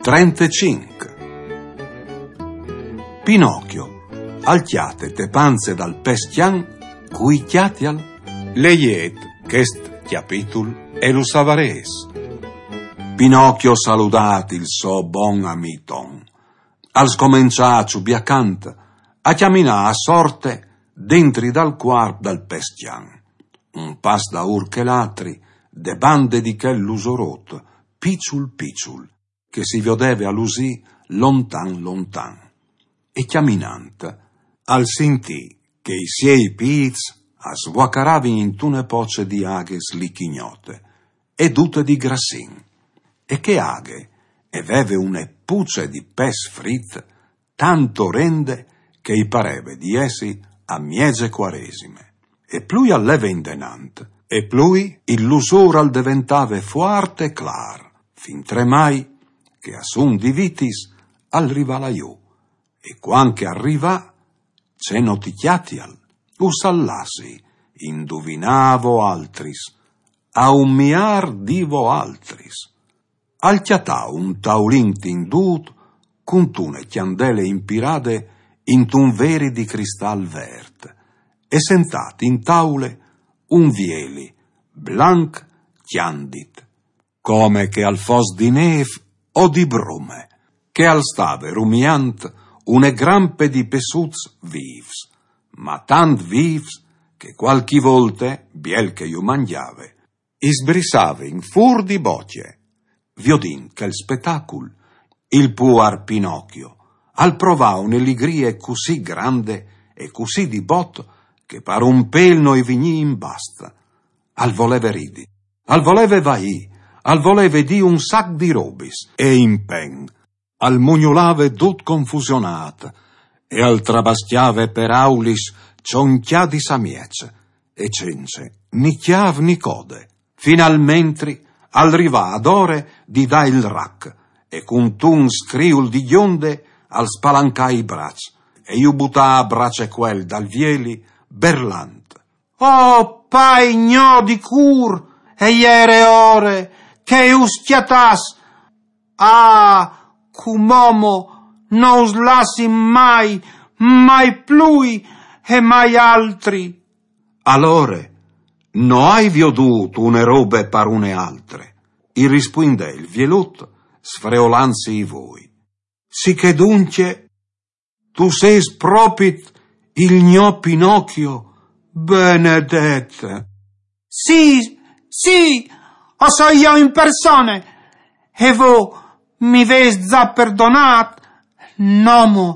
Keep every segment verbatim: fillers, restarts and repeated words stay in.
Trentecinc. Pinocchio al cjate te panze dal pes cjan cui cjatial. Leiet chest cjapitul e lu savarês. Pinocchio saludât il so bon amì Ton, al scomençà a ciubiâ cant, a cjaminâ a sorte dentri dal cuarp dal pes cjan, un pas daûr chel altri, de bande di chel lusorot, piçul piçul, che si viodeve a lusî lontan lontan. E cjaminant, al sintì che i siei pîts a svuacaravin intune poce di aghe slichignote, e dute di grassin, e chê aghe e veve une puce di pes frit tant orende che i pareve di jessi a mieze Cuaresime. E plui al leve indenant, e plui il lusôr al deventave fuart e clâr, fintremai che a sun di vitis al rivà lajù, e cuant che al rivà, ce no ti cjatial, us al lassi induvinâ a voaltris, a un miâr di voaltris. Al cjatà un taulin tindût cuntune cjandele impirade intun veri di cristal vert, e sentât in taule un vieli blanc cjandit, come che al fos di nêf o di brume, che al stave rumiant une grampe di pesuts vîfs, ma tant vîfs che cualchi volte, biel che ju mangjave, i sbrissavin fûr di bocje. Viodint chel spetacul, il puar Pinocchio al provà une ligrie cussì grande e cussì di bot che par un pêl no i vignì in bast. Al voleve ridi, al voleve vaî, al voleve dî un sac di robis e in pen al mugnulave dut confusionât e al trabascjave peraulis cioncjadis a mieç e cence ni cjâf ni code. Finalmentri al rivà adore di dâ il rac e cuntun scriul di gjonde al spalancà i braçs e ju butà a braç e cuel dal vieli berlant: «Oh pai gno di cûr, e jere ore che us cjatàs! Ah, cumò mo no us lassi mai, mai plui e mai altri!» «Alore, no ai viodût une robe par une altre», i rispuindè il vielut, sfreolansi i voi. «Sichè duncje, tu sês propit il gno Pinocchio, benedet!» «Sì, sì, o soi jo in persone, e vô mi vês za perdonât, no mo?»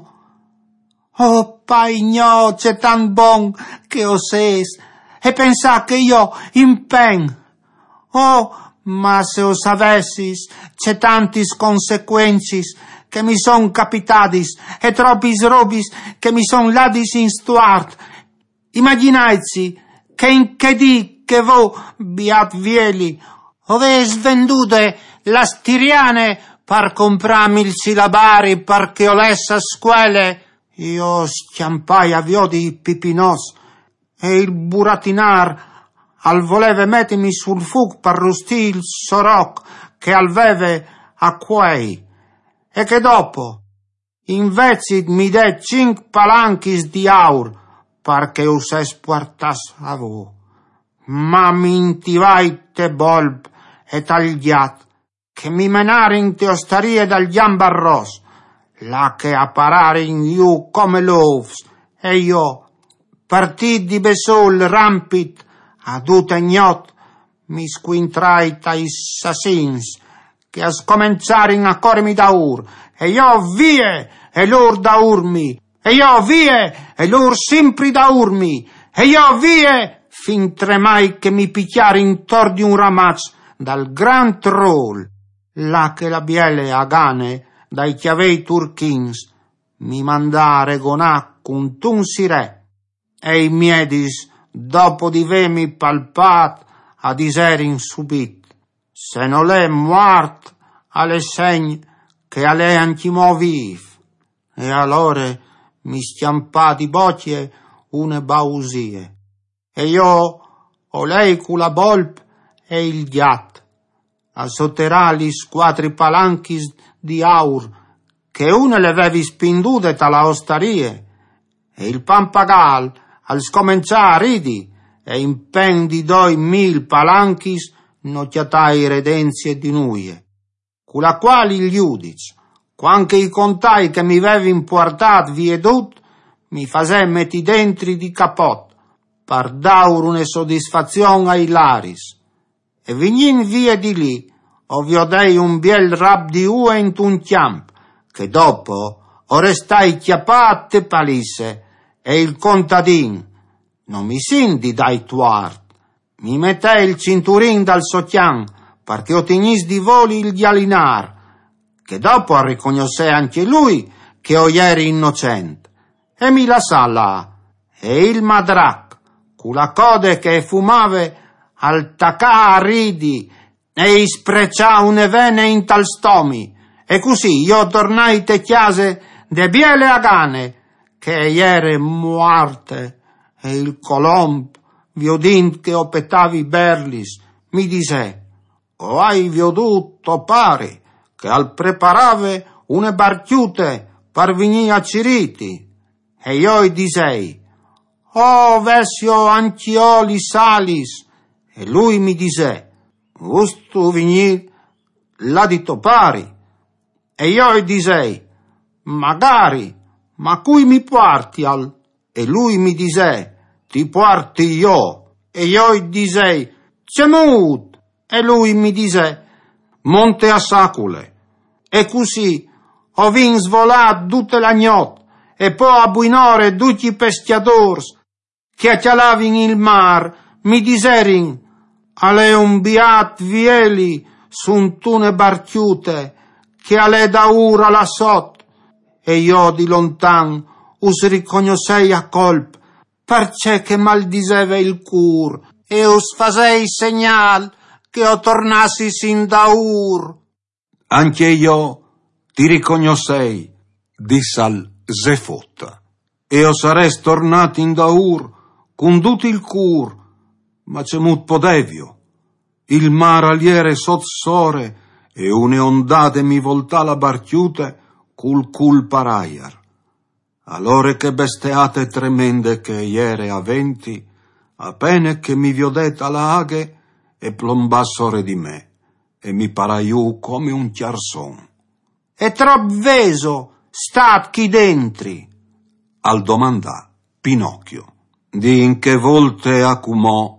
«Oh pai gno, ce tant bon che o sês, e pensâ che jo in pen. Oh, ma se o savessis ce tantis consecuencis che mi son capitadis e tropis robis che mi son ladis in stuart! Imagjinaitsi che in chê dì che vô, biat vieli, o vês vendude la stiriane par comprâmi il silabari par che o lès a scuele, jo o scjampai a viodi i pipinots e il buratinâr al voleve metimi sul fûc par rustî il so roc che al veve a cuei, e che dopo, invezit, mi dè cinc palanchis di aur par che us es puartâts a vô. Ma mi intivai te bolp e tal gjat, che mi menarin te ostarie dal Gjambarros, là che a pararin jù come lôfs, e jo, partît di bessôl rampit, a dute gnot, mi scuintrai tai sassins, che a scomençarin a corimi daûr, e jo vie, e lôr daûrmi, e jo vie, e lôr simpri daûrmi, e jo vie, fintremai che mi picjarin tor di un ramaç dal grant rôl, là che la biele agane dai cjavei turchins mi mandà a regonâ cuntun sirè, e i miedis, dopo di vêmi palpât, a diserin subit: «Se nol è muart, al è segn che al è ancjemò vîf.» E alore mi scjampà di bocje une bausie, e jo o lei cu la bolp e il gjat a soterâ lis cuatri palanchis di aur che une le vevi spindude ta la ostarie, e il pampagal al scomençà a ridi, e in pen di doi mil palanchis no cjatai redenzie di nuie. Cu la quali il judic, cuant che i contai che mi vevin puartât vie dut, mi fasè meti dentri di capot, par daur une sodisfazion ai laris. E vignint vie di li, o viodei un biel rap di ue intun cjamp, che dopo o restai cjapât te palisse, e il contadin, no mi sint di dai tuart, mi metè il cinturin dal so cjan, par che o tignìs di voli il gjalinâr, che dopo al ricognossè ancje lui che o jeri innocent, e mi lassà là, e il madrac, cu la code che e fumave, al tacà a ridi, e i spreçà une vene intal stomi, e cussì jo tornai te cjase de biele a gane, che e jere muarte, e il colomb, viodint che o petavi berlis, mi disè: «O ai viodût to pari, che al preparave une barcjute par vignî a cirîti.» E jo i disei: «O, vessio ancje jo lis alis.» E lui mi disè: «Vustu vignî là di to pari?» E jo i disei: «Magari, ma cui mi puartial?» E lui mi disè: «Ti puarti jo.» E jo i disei: «Cemût?» E lui mi disè: «Monte a sacule.» E cussì o vin svolât dute la gnot, e po a buinore ducj i pescjadôrs che a cjalavin il mâr mi diserin: «Al è un biât vieli suntune barcjute che al è daûr a la sot.» E jo di lontan us ricognossei a colp, parcè che mal diseve il cûr, e us fasei segnâl che o tornassis indaûr. «Ancje jo ti ricognossei», dissal Zefot, «e o sarès tornât indaûr cun dut il cûr, ma cemût podevio? Il mâr al jere sot sore, e une ondade mi voltà la barcjute cul cûl par aiar. Alore chê besteate tremende che e jere a venti, a pene che mi viodè ta la aghe, e plombà sore di me, e mi parà jù come un cjarson.» «E trop vêso stât chi dentri?» al domandà Pinocchio. «Di in chê volte a cumò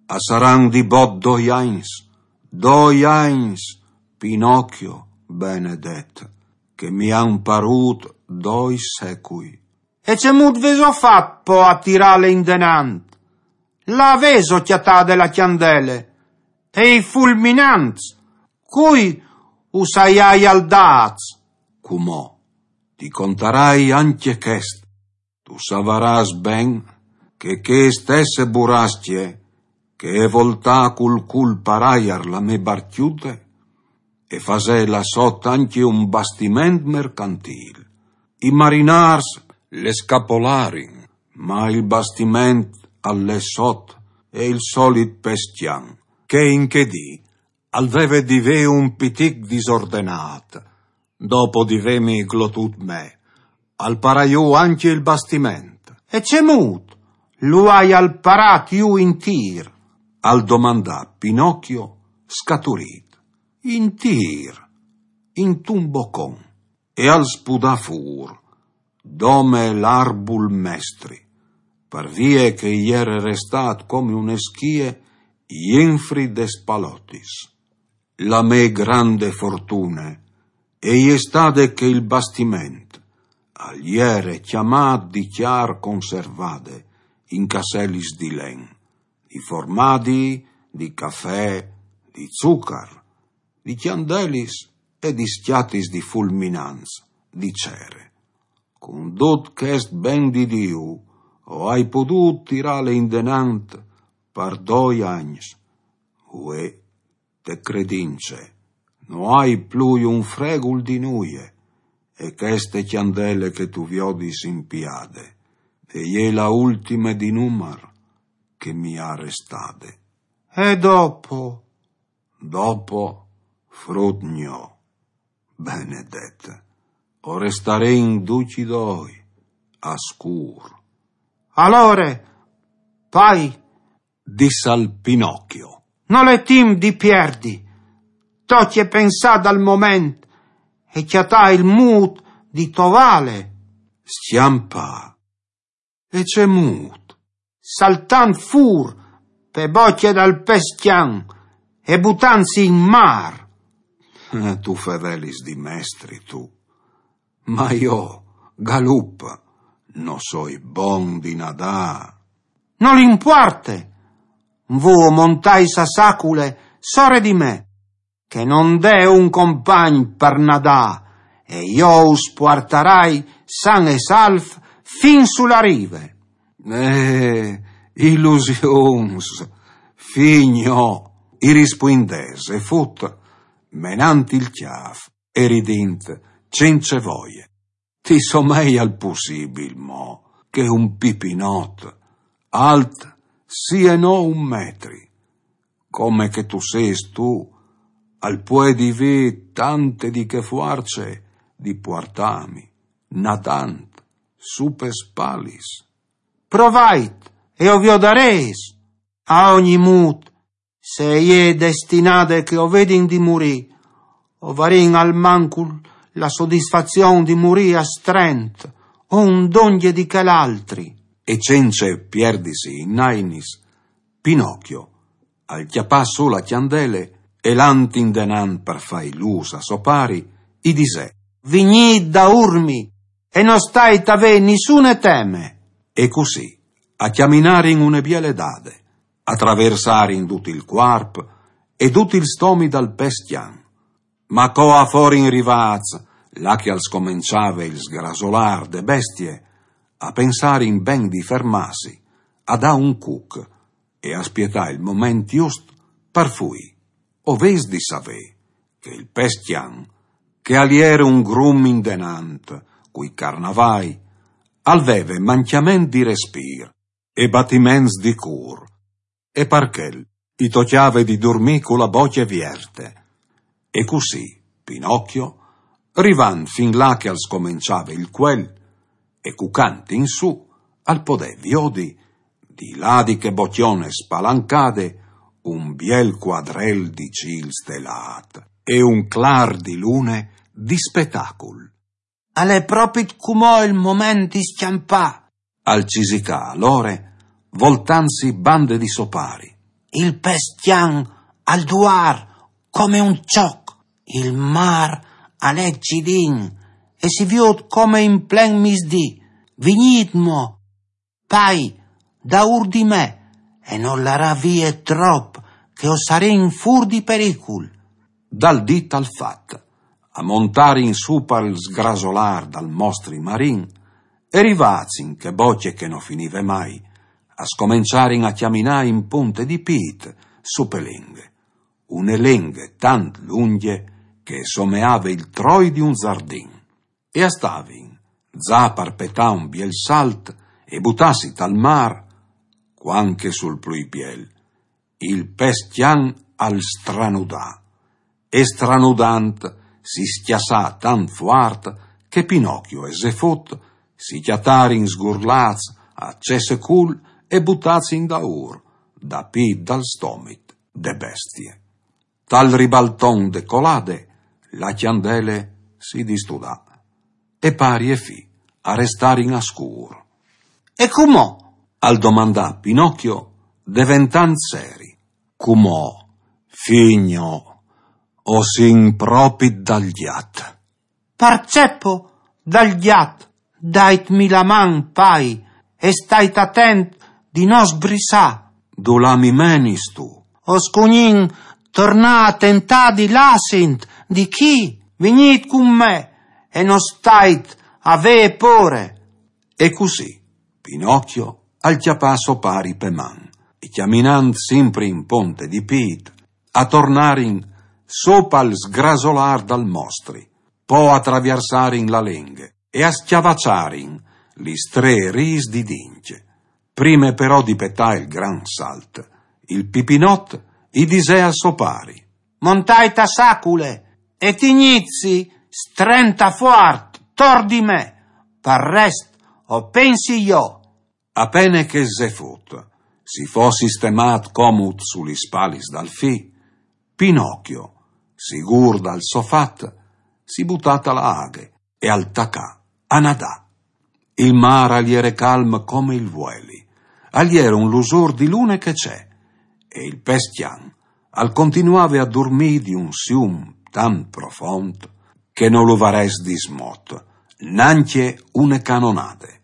a saran di bot doi agns, doi agns, Pinocchio benedet, che mi àn parût doi secui.» «E cemût vêso fat po a tirâle indenant? Là vêso cjatade la cjandele e i fulminants? Cui us aiaial dâts?» «Cumò ti contarai ancje chest. Tu savarâs ben che chê stesse burascje che e voltà cul cûl par aiar la mê barcjute, e fasè là sot ancje un bastiment mercantîl. I marinârs le scapolarin, ma il bastiment al è sot, e il solit pescjan, che in chê dì al veve di vê un pitic disordenât, dopo di vêmi glotût me, al parà jù ancje il bastiment.» «E cemût lu aial parât jù intîr?» al domandà Pinocchio scaturît. «Intîr, intun bocon.» E al spudà fûr, dome l'arbul mestri, par vie che i jere restât come une schie jenfri des palotis. La mê grande fortune e je stade che il bastiment al jere cjamât di cjar conservade in casselis di len, di formadi, di cafè, di zucar, di cjandelis e di scjatis di fulminants di cere. «Cun dut chest ben di Diu o ai podût tirâle indenant par doi agns. Vuê, te credince, no ai plui un fregul di nuie, e cheste cjandele che tu viodis impiade e je la ultime di numar che mi à restade.» «E dopo?» «Dopo, frut gno, Benedet, o restarìn ducj i doi a scûr. Alore, pai, dissal Pinocchio, nol è timp di pierdi. Tocje pensâ dal moment e cjatâ il mût di tovâle. Scjampâ? E ce mût? Saltant fûr pe bocje dal pescjan e butantsi in mâr. Eh, tu fevelis di mestri, tu. Ma jo, galup, no soi bon di nadâ. Nol impuarte. Vô montais a sacule sore di me, che no 'nd è un compagn par nadâ, e jo us puartarai san e salf fin su la rive. Eh, ilusions, fi gno, i rispuindè Zefut, menant il cjâf e ridint cence voie. Ti someial pussibil, mo, che un pipinot, alt sì e no un metri, come che tu sês tu, al puedi vê tante di chê fuarce di puartâmi, nadant, su pes spalis? Provait e o viodarês. A ogni mût, se e je destinade che o vedin di murî, o varìn almancul la sodisfazion di murî a strent, un dongje di chel altri. E cence pierdisi in ainis, Pinocchio al cjapà sù la cjandele e, lant indenant par fâi lûs a so pari, i disè: Vignît daûr mi e no stait a vê nissune teme. E cussì a cjaminarin une biele dade, a traversarin dut il cuarp e dut il stomi dal pescjan. Ma co a forin rivâts là che al scomençave il sgrasolâr de bestie, a pensarin ben di fermâsi, a dâ un cuc e a spietâ il moment just par fuî. O vês di savê che il pescjan, che al jere un grum indenant cui carnavai, al veve mancjament di respîr e batiments di cûr, e par chel i tocjave di durmî cu la bocje vierte. E cussì Pinocchio, rivant fin là che al scomençave il cuel, e cucant in sù, al podè viodi, di là di chê bocjone spalancade, un biel cuadrel di cîl stelât e un clâr di lune di spetacul. Al è propit cumò il moment di scjampâ, al cisicà alore, voltantsi bande di so pari. Il pescjan al duar come un çoc. Il mâr al è cidin e si viôt come in plen misdì. Vignît mo, pai, daûr di me, e no larâ vie trop, che o sarìn fûr di pericul. Dal dit al fat, a montarin sù pal sgrasolâr dal mostri marin, e rivâts in chê bocje che no finive mai, a scomençarin a cjaminâ in ponte di pît su pe lenghe, une lenghe tant lungje che e someave il troi di un zardin. E a stavin za par petâ un biel salt e butâsi tal mâr, cuant che sul plui biel il pescjan al stranudà, e stranudant si scjassà tant fuart che Pinocchio e Zefut si cjatarin sgurlâts a cesse cûl e butâts indaûr, da pît dal stomit de bestie. Tal ribalton de colade, la cjandele si distudà, e pari e fi a restarin a scûr. E cumò? Al domandà Pinocchio, deventant seri. Cumò, fi gno, o sin propit dal gjat. Parcè po dal gjat? Daitmi la man, pai, e stait atent di no sbrissâ. Dulà mi menistu? O scugnin tornâ a tentâ di lâsint di chi. Vignît cun me e no stait a vê pôre. E cussì Pinocchio al cjapà so pari pe man, e cjaminant simpri in ponte di pît, a tornarin sù pal sgrasolâr dal mostri, po a traviersarin la lenghe e a scjavaçarin lis trê rîs di dincje. Prime però di petâ il gran salt, il pipinot i disè a so pari: Montait a sacule e tignîtsi Strenta fuart, tor di me, par rest o pensi jo. Apene che ze fut, si fo sistemât comut su lis spalis dal fi, Pinocchio, sigûr dal so fat, si butà ta la aghe e al tacà a nadâ. Il mâr al jere calm come il vueli, al jere un lusôr di lune che ce, e il pes cjan al continuave a durmî di un sium tant profont che no lu varès dismot nancje une canonade.